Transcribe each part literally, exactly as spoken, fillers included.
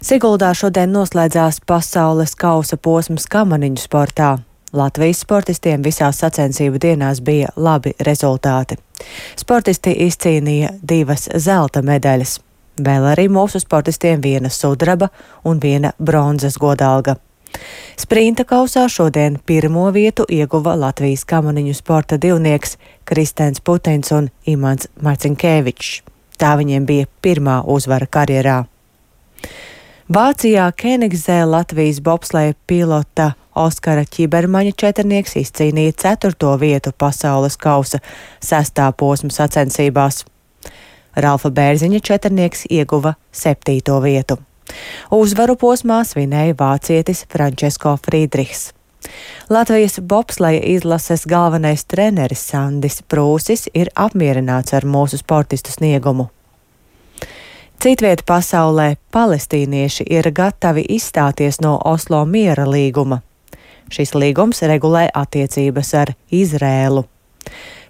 Siguldā šodien noslēdzās pasaules kausa posms kamaniņu sportā. Latvijas sportistiem visās sacensību dienās bija labi rezultāti. Sportisti izcīnīja divas zelta medaļas. Vēl arī mūsu sportistiem viena sudraba un viena bronzas godalga. Sprinta kausā šodien pirmo vietu ieguva Latvijas kamaniņu sporta divnieks Kristens Putins un Imants Marcinkevičs. Tā viņiem bija pirmā uzvara karjerā. Vācijā Kenigzē Latvijas bobsleja pilota Oskara Ķibermaņa četrnieks izcīnīja ceturto vietu pasaules kausa sestā posma sacensībās. Ralfa Bērziņa četrnieks ieguva septīto vietu. Uzvaru posmā svinēja vācietis Frančesko Frīdrihs. Latvijas bobsleja izlases galvenais treneris Sandis Prūsis ir apmierināts ar mūsu sportistu sniegumu. Citvieta pasaulē palestīnieši ir gatavi izstāties no Oslo miera līguma. Šis līgums regulē attiecības ar Izrēlu.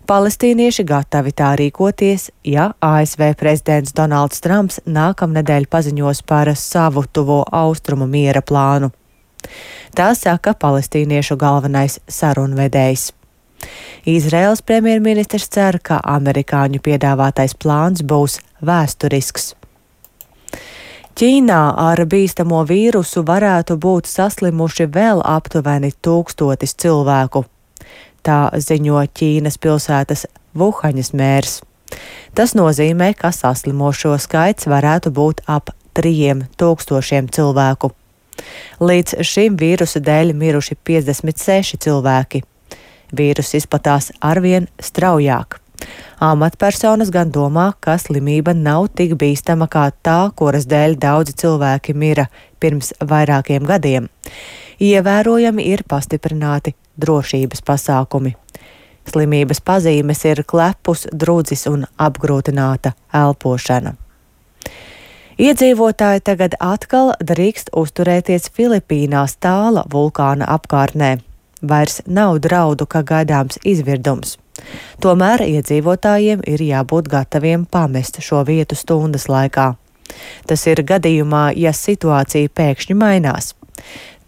Palestīnieši gatavi tā rīkoties, ja A S V prezidents Donalds Trumps nākamnedēļ paziņos par savu tuvo austrumu miera plānu. Tā saka palestīniešu galvenais sarunvedējs. Izraēlas premjerministrs cer, ka amerikāņu piedāvātais plāns būs vēsturisks. Ķīnā ar bīstamo vīrusu varētu būt saslimuši vēl aptuveni tūkstotis cilvēku. Tā ziņo Ķīnas pilsētas Vuhaņas mērs. Tas nozīmē, ka saslimošo skaits varētu būt ap trijiem tūkstošiem cilvēku. Līdz šim vīrusa dēļ miruši piecdesmit seši cilvēki. Vīrus izplatās arvien straujāk. Amatpersonas gan domā, ka slimība nav tik bīstama kā tā, kuras dēļ daudzi cilvēki mira pirms vairākiem gadiem. Ievērojami ir pastiprināti drošības pasākumi. Slimības pazīmes ir klepus, drudzis un apgrūtināta elpošana. Iedzīvotāji tagad atkal drīkst uzturēties Filipīnās Tāla vulkāna apkārtnē. Vairs nav draudu, ka gaidāms izvirdums. Tomēr iedzīvotājiem ir jābūt gataviem pamest šo vietu stundas laikā. Tas ir gadījumā, ja situācija pēkšņi mainās.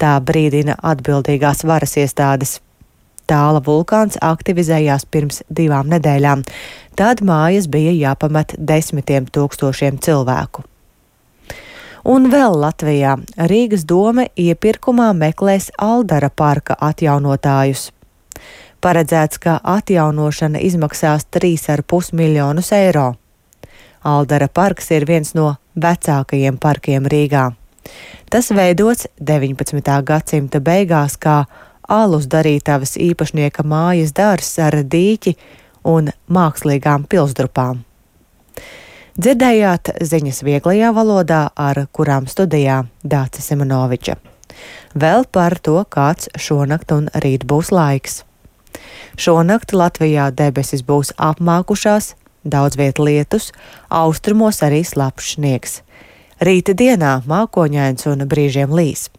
Tā brīdina atbildīgās varas iestādes. Tāla vulkāns aktivizējās pirms divām nedēļām. Tad mājas bija jāpamet desmitiem tūkstošiem cilvēku. Un vēl Latvijā Rīgas dome iepirkumā meklēs Aldara parka atjaunotājus. Paredzēts, ka atjaunošana izmaksās trīs ar pus miljonus eiro. Aldara parks ir viens no vecākajiem parkiem Rīgā. Tas veidots deviņpadsmitā gadsimta beigās kā alus darītavas īpašnieka mājas dārzs ar dīķi un mākslīgām pilsdrupām. Dzirdējāt ziņas vieglajā valodā, ar kurām studijā Dāce Simonoviča. Vēl par to, kāds šonakt un rīt būs laiks. Šonakt Latvijā debesis būs apmākušās, daudz viet lietus, austrumos arī slapjš sniegs. Rīta dienā mākoņains un brīžiem līs.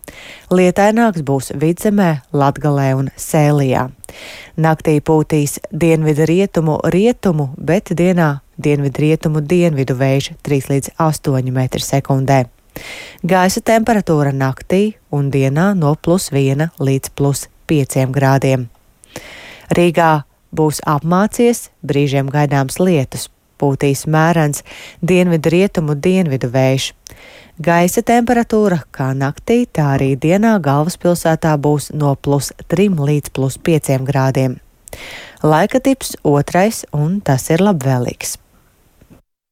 Lietaināks būs Vidzemē, Latgalē un Sēlijā. Naktī pūtīs dienvidu rietumu rietumu, bet dienā dienvidu rietumu dienvidu vējš trīs līdz astoņi metri sekundē. Gaisa temperatūra naktī un dienā no plus viena līdz plus pieciem grādiem. Rīgā būs apmācies, brīžiem gaidāms lietus, pūtīs mērens dienvidu rietumu dienvidu vējš. Gaisa temperatūra kā naktī, tā arī dienā galvaspilsētā būs no plus trim līdz plus pieciem grādiem. Laika tips otrais, un tas ir labvēlīgs.